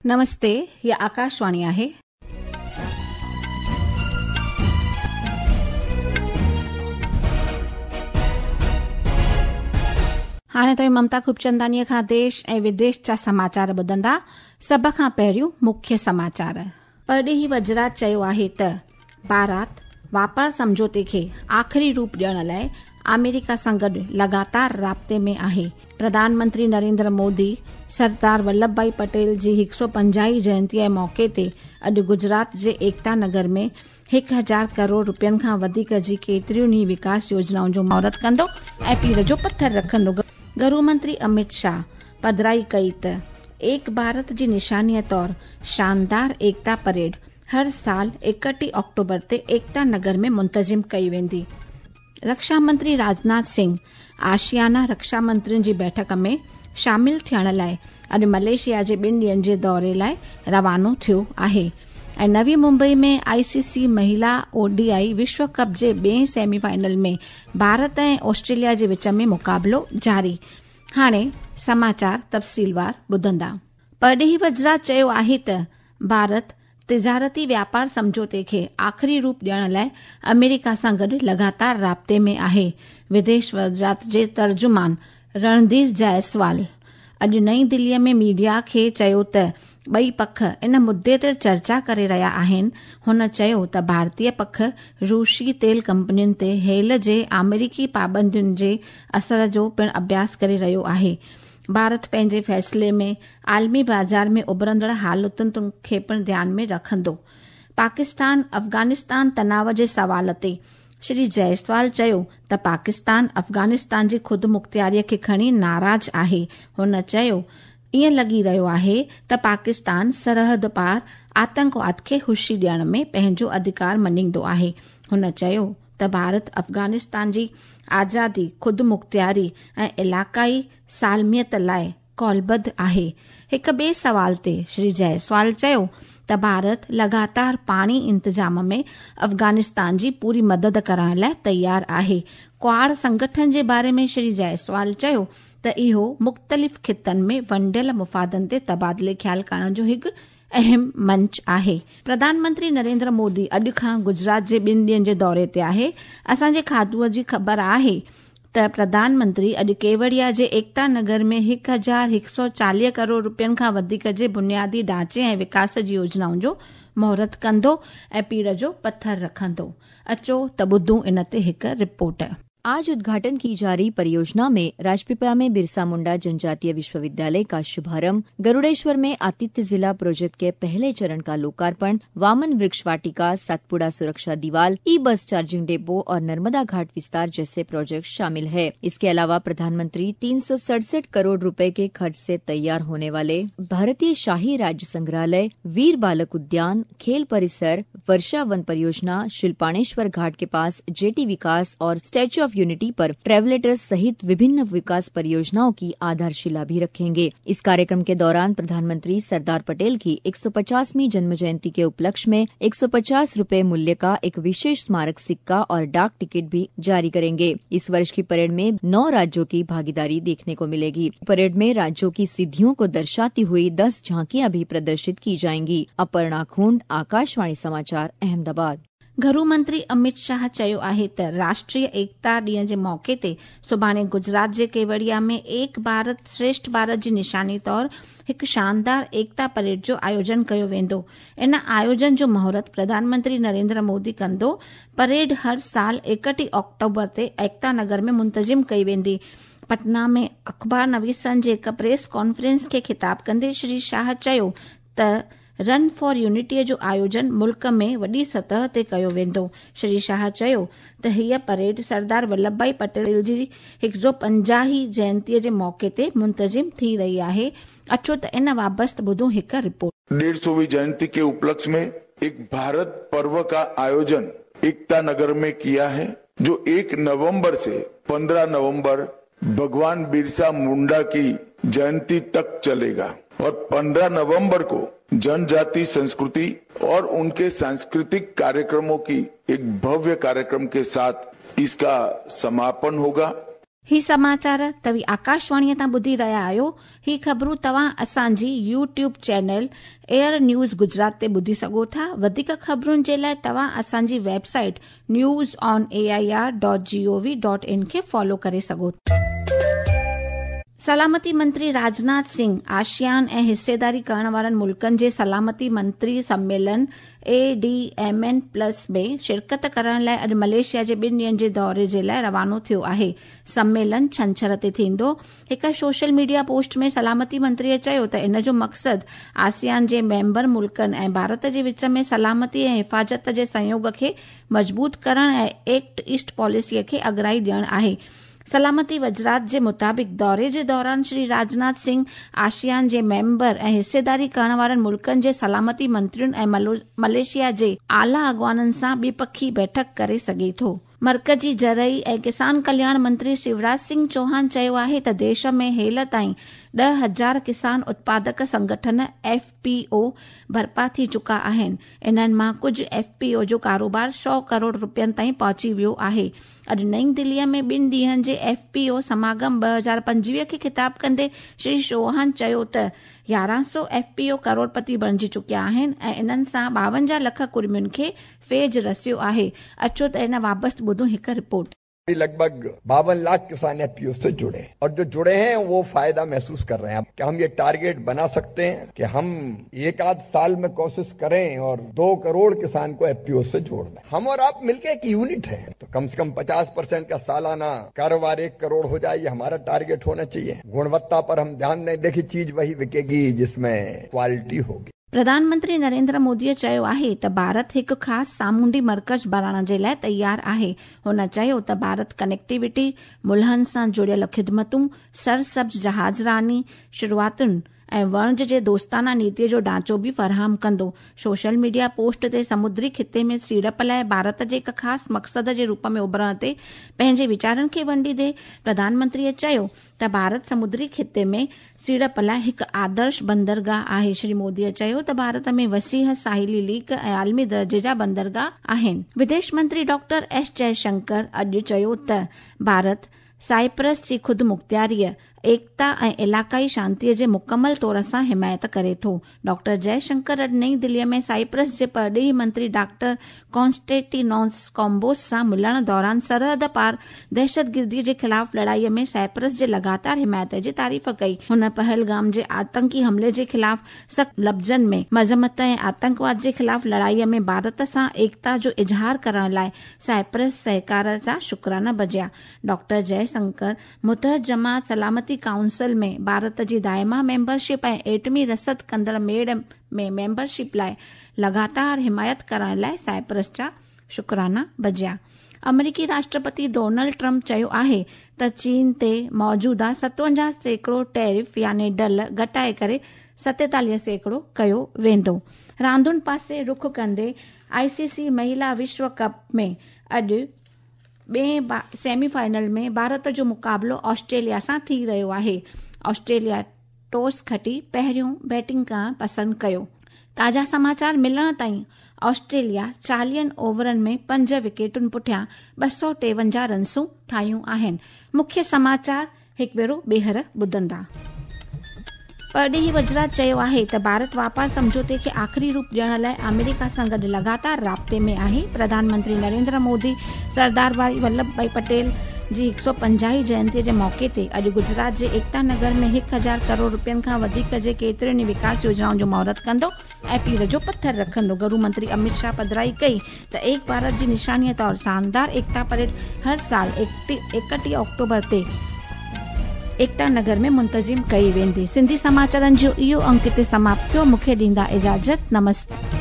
नमस्ते, ही आकाशवाणी आहे. हाणे तव्हीं ममता खूबचंदानीअ खां देश ऐं विदेश जा समाचार ॿुधंदा. सभ खां पहिरियों मुख्य समाचार. परॾेही वज़रात चयो आहे त भारत वापार सम्झौते खे आख़िरी रूप ॾियण लाइ आमेरिका सां गॾु लगातार राब्ते में आहे. प्रधानमंत्री नरेंद्र मोदी सरदार वल्लभ भाई पटेल जी 150 जयंतीअ जे मौक़े ते अॼु गुजरात जे एकता नगर में 1000 करोड़ रुपयनि खां वधीक जी केतिरियुनि ई विकास योजनाउनि जो मुहूर्त कंदो ऐं पीर जो पथर रखंदो. गृह मंत्री अमित शाह पधराई कई त एक भारत जी निशानीअ तौर शानदार एकता परेड हर साल 31 ऑक्टोबर ते एकता नगर में मुंतज़िम कई वेंदी. रक्षा मंत्री राजनाथ सिंह आशियाना रक्षा मंत्रियुनि जी बैठक में शामिल थियण लाइ अॼु मलेशिया जे 2 ॾींहनि जे दौरे लाइ रवानो थियो आहे. ऐं नवी मुंबई में आईसीसी महिला ओडीआई विश्व कप जे ॿिए सेमीफाइनल में भारत ऐं ऑस्ट्रेलिया जे विच में मुक़ाबिलो जारी. हाणे समाचार तफ़सीलवार ॿुधंदा. परॾेही वज़रात चयो आहे त भारत तिजारती व्यापार सम्झौते खे आख़िरी रूप ॾियण लाइ अमेरिका सां गॾु लगातार राब्ते में आहे. विदेश वज़ारत जे तर्जुमान रणधीर जायसवाल अॼु नई दिल्लीअ में मीडिया खे चयो त ॿई पख इन मुद्दे ते चर्चा करे रहिया आहिनि. हुन चयो त भारतीय पख रूसी तेल कंपनियुनि ते हेल जे आमेरिकी पाबंदियुनि जे असर जो पिणु अभ्यास करे रहियो आहे. भारत पंहिंजे फ़ैसिले में आलमी बाज़ार में उभरंदड़ हालतुनि खे पिणु ध्यान में रखंदो. पाकिस्तान अफ़गानिस्तान तनाव जे सवाल ते श्री जायसवाल चयो त पाकिस्तान अफ़गानिस्तान जी ख़ुदि मुख़्तियारीअ खे खणी नाराज़ आहे. हुन चयो ईअं लॻी रहियो आहे त पाकिस्तान सरहद पार आतंकवाद खे ख़ुशी ॾियण में पंहिंजो अधिकार मञींदो आहे. हुन चयो त भारत अफ़गानिस्तान जी आज़ादी, ख़ुदि मुख़्तियारी ऐं इलाक़ाई सालमियत लाइ कौलबद्ध आहे. हिक ॿिए सवाल ते श्री जायसवाल चयो त भारत लगातार पाणी इंतज़ाम में अफ़गानिस्तान जी पूरी मदद करण लाइ तयारु आहे. क्वाड संगठन जे बारे में श्री जायसवाल चयो त इहो मुख़्तलिफ़ ख़ितनि में वंडियल मुफ़ादनि ते तबादिले ख़्याल करण जो हिकु अहम मंच आहे. प्रधानमंत्री नरेंद्र मोदी अॼु खां गुजरात जे 2 ॾींहनि जे दौरे ते आहे. असांजे खातूअ जी ख़बर आहे त प्रधानमंत्री अॼु केवड़िया जे एकता नगर में 1140 करोड़ रुपयनि खां वधीक जे बुनियादी ढांचे ऐं विकास जी योजनाउनि जो मुहूर्त कंदो ऐं पीर जो पथर रखंदो. अचो त ॿुधूं इन ते हिकु रिपोर्ट. आज उद्घाटन की जा रही परियोजना में राजपीपला में बिरसा मुंडा जनजातीय विश्वविद्यालय का शुभारंभ, गरुड़ेश्वर में आतिथ्य जिला प्रोजेक्ट के पहले चरण का लोकार्पण, वामन वृक्ष वाटिका, सातपुड़ा सुरक्षा दीवार, ई बस चार्जिंग डिपो और नर्मदा घाट विस्तार जैसे प्रोजेक्ट शामिल है। इसके अलावा प्रधानमंत्री 367 करोड़ रुपए के खर्च से तैयार होने वाले भारतीय शाही राज्य संग्रहालय, वीर बालक उद्यान, खेल परिसर, वर्षा वन परियोजना, शिल्पाणेश्वर घाट के पास जेटी विकास और स्टैच्यू ऑफ यूनिटी पर ट्रेवलेटर्स सहित विभिन्न विकास परियोजनाओं की आधारशिला भी रखेंगे। इस कार्यक्रम के दौरान प्रधानमंत्री सरदार पटेल की 150वीं जन्म जयंती के उपलक्ष्य में 150 रुपए मूल्य का एक विशेष स्मारक सिक्का और डाक टिकट भी जारी करेंगे। इस वर्ष की परेड में 9 राज्यों की भागीदारी देखने को मिलेगी। परेड में राज्यों की सिद्धियों को दर्शाती हुई 10 झांकियां भी प्रदर्शित की जाएंगी। अपर्णा खूंड, आकाशवाणी समाचार, अहमदाबाद। घरू मंत्री अमित शाह चयो आहे त राष्ट्रीय एकता ॾींहं जे मौक़े ते सुभाणे गुजरात जे केवड़िया में एक भारत श्रेष्ठ भारत जी निशानी तौर हिकु शानदार एकता परेड जो आयोजन कयो वेंदो. इन आयोजन जो मुहूर्त प्रधानमंत्री नरेंद्र मोदी कंदो. परेड हर साल 31 ऑक्टोबर ते एकता नगर में मुंतज़िम कई वेंदी. पटना में अख़बार नवीसनि जे हिकु प्रेस कॉन्फ्रेंस खे ख़िताब कंदे श्री शाह चयो त रन फॉर यूनिटीअ जो आयोजन मुल्क में वॾी सतह ते कयो वेंदो. श्री शाह चयो त हीअ परेड सरदार वल्लभ भाई पटेल जी 150 जयंतीअ जे मौक़े ते मुंतज़िम थी रही आहे. अचो त इन वाबस्त ॿुधूं हिकु रिपोर्ट. 150वीं जयंती के उपलक्ष्य में एक भारत पर्व का आयोजन एकता नगर में किया है, जो 1 नवंबर से 15 नवंबर भगवान बिरसा मुंडा की जयंती तक चलेगा और 15 नवंबर को जनजाति संस्कृति और उनके सांस्कृतिक कार्यक्रमों की एक भव्य कार्यक्रम के साथ इसका समापन होगा। هي سماچار توهين آڪاشواڻيء تان ٻڌي رهيا آهيو. هي خبرون توهان اسان جي YouTube channel AIR news Gujarat تي ٻڌي سگهو ٿا. وڌيڪ خبرن جي لاء توهان اسان جي website news on A I R dot G O V dot in کي فالو ڪري سگهو ٿا. سلامتي منتري راجناٿ سنگهه آشيان ۽ حصيداري ڪرڻ وارن ملڪن جي سلامتي منتري سميلن A D M N plus ۾ شرڪت ڪرڻ لاء اڄ ملائيشيا جي ٻن ڏينهن جي دوري جي لاء روانو ٿيو آهي. سميلن ڇنڇر تي ٿيندو. هڪ سوشل ميڊيا پوسٽ ۾ سلامتي منتري چيو ته ان جو مقصد آسيان جي ميمبر ملڪن ۽ ڀارت جي وچ ۾ سلامتي ۽ حفاظت جي سهيوڳ کي مضبوط ڪرڻ ۽ ايڪٽ ايسٽ پاليسي کي اڳرائي ڏيڻ آهي. سلامتي وزارت جي مطابق دوري جي دوران شري راجناٿ سنگهه آسيان جي ميمبر ۽ حصيداري ڪرڻ وارن ملڪن جي سلامتي منترين ۽ ملائيشيا جي اعليٰ اڳواڻن سان ٻپکي بيٺڪ ڪري سگهي ٿو. مرڪزي زرعي ۽ ڪسان ڪلياڻ منتري شيوراج سنگهه چوهان چيو آهي ته ديش ۾ هيل تائين 10,000 ڪسان اتپادڪ سنگٺن، ايف پي او، برپا ٿي چڪا آهن، انهن مان ڪجهه ايف پي او جو ڪاروبار سؤ ڪروڙ رپين تائين پهچي ويو آهي. اڄ نئين دهليء ۾ ٻن ڏينهن جي ايف پي او سماگم 2025 کي خطاب ڪندي شري چوهان چيو ته 1100 ايف پي او ڪروڙپتي بڻجي چڪيا آهن ۽ انهن سان 52 لک ڪڙمين کي فيض رسيو آهي. اچو ته ان بابت ٻڌون هڪ رپورٽ. لڳ ڀڳ 52 لاک ڪسان ايف پي او سي جڙي هين اور جو جڙي هين وو فائده محسوس ڪر رهي هين ڪيا هم يه ٽارگيٽ بنا سڪتي هين ڪي هم ايڪ آڌ سال مين ڪوشش ڪرين اور 2 ڪروڙ ڪسان ڪو ايف پي او سي جوڙ دين. هم اور آپ ملڪي ايڪ يونٽ هين تو ڪم سي ڪم 50 پرسينٽ ڪا سالانه ڪاروبار 1 ڪروڙ هو جائي يه همارا ٽارگيٽ هونا چاهيي. گڻوتا پر هم ڌيان دين ديکي چيز وهي وڪيگي جس مين ڪوالٽي هوگي. پرڌان منتري نريندر مودي چيو آهي ته ڀارت هڪ خاص سامونڊي مرڪز بڻائڻ جي لاء تيار آهي. هن چيو ته ڀارت ڪنيڪٽيوٽي، ملهن سان جڙيل خدمتون، سرسبز جهاز راني، شروعاتن ۽ وڻج جي دوستانه نيتي جو ڍانچو به فراهم ڪندو. سوشل ميڊيا پوسٽ تي سمندري خطي ۾ سيڙپ لاء ڀارت جي هڪ خاص مقصد جي روپ ۾ اڀرڻ تي پنهنجي ويچارن کي ونڊيندي پرڌان منتري چيو ته ڀارت سمندري خطي ۾ سيڙپ لاء هڪ آدرش بندرگاهه آهي. شري مودي چيو ته ڀارت ۾ وسيع ساحلي ليڪ ۽ عالمي درجي جا بندرگاهه آهن. وديش منتري ڊاڪٽر ايس جئشنڪر اڄ چيو ته ڀارت سائپرس جي خودمختياريء، ايڪتا ۽ علاقائي شانتيء جي مڪمل طور سان حمايت ڪري ٿو. ڊاڪٽر جئه شنڪر اڄ نئين دهليء ۾ سائپرس جي پرڏيهي منتري ڊاڪٽر ڪانسٽينٽينوس ڪومبوس سان ملڻ دوران سرحد پار دهشتگرديء جي خلاف لڙائيء ۾ سائپرس جي لڳاتار حمايت جي تعريف ڪئي. هن پهلگام جي آتنڪي حملي جي خلاف سخت لفظن ۾ مذمت ۽ آتنڪواد جي خلاف لڙائيء ۾ ڀارت سان ايڪتا جو اظهار ڪرڻ لاء سائپرس سهڪار جا شڪرانا بجيا. ڊاڪٽر جئه شنڪر متحد جماعت سلامتي ڪائونسل ۾ ڀارت جي دائما ميمبرشپ ۽ ايٽمي رسد ڪندڙ ميڙ ۾ ميمبرشپ لاء لڳاتار حمايت ڪرڻ لاء سائپرس جا شڪرانا بجيا. آمريڪي راشٽرپتي ڊونلڊ ٽرمپ چيو آهي ته چين تي موجوده 57% ٽيرف يعني ڍل گهٽائي ڪري 47% ڪيو ويندو. راندن پاسي رخ ڪندي آء سي سي مهيلا وشو ڪپ ۾ اڄ ٻئين سيمي فائنل ۾ ڀارت جو مقابلو آسٽريليا سان ٿي رهيو آهي. آسٽريليا ٽاس کٽي پهريون بيٽنگ ڪرڻ پسند ڪيو. تازا سماچار ملڻ تائين آسٽريليا چاليهن اوورن ۾ پنج وڪيٽن پٺيان 253 رنسون ٺاهيون آهن. مکيه سماچار هڪ ڀيرو ٻيهر ٻڌندا. پرڏيهي وزارت چيو آهي ته ڀارت واپار سمجهوتي کي آخري روپ ڏيڻ لاء آمريڪا سان گڏ لڳاتار رابطي ۾ آهي، پرڌان منتري نريندر مودي سردار ڀائي ولڀ ڀائي پٽيل جي 150 هين جينتي جي موقعي تي اڄ گجرات جي ايڪتا نگر ۾ 1000 ڪروڙ رپين کان وڌيڪ جي ڪيترين ئي وڪاس يوجنائن جو مهورت ڪندو ۽ پير جو پٿر رکندو. گهرو منتري اميت شاهه پڌرائي ڪئي ته ايڪ ڀارت جي نشاني طور شاندار ايڪتا پريڊ هر سال 31 آڪٽوبر تي ايڪتا نگر ۾ منتظم ڪئي ويندي. سنڌي سماچارن جو اهو انڪ هتي سماپت ٿيو. مون کي ڏيندا اجازت. نمستي.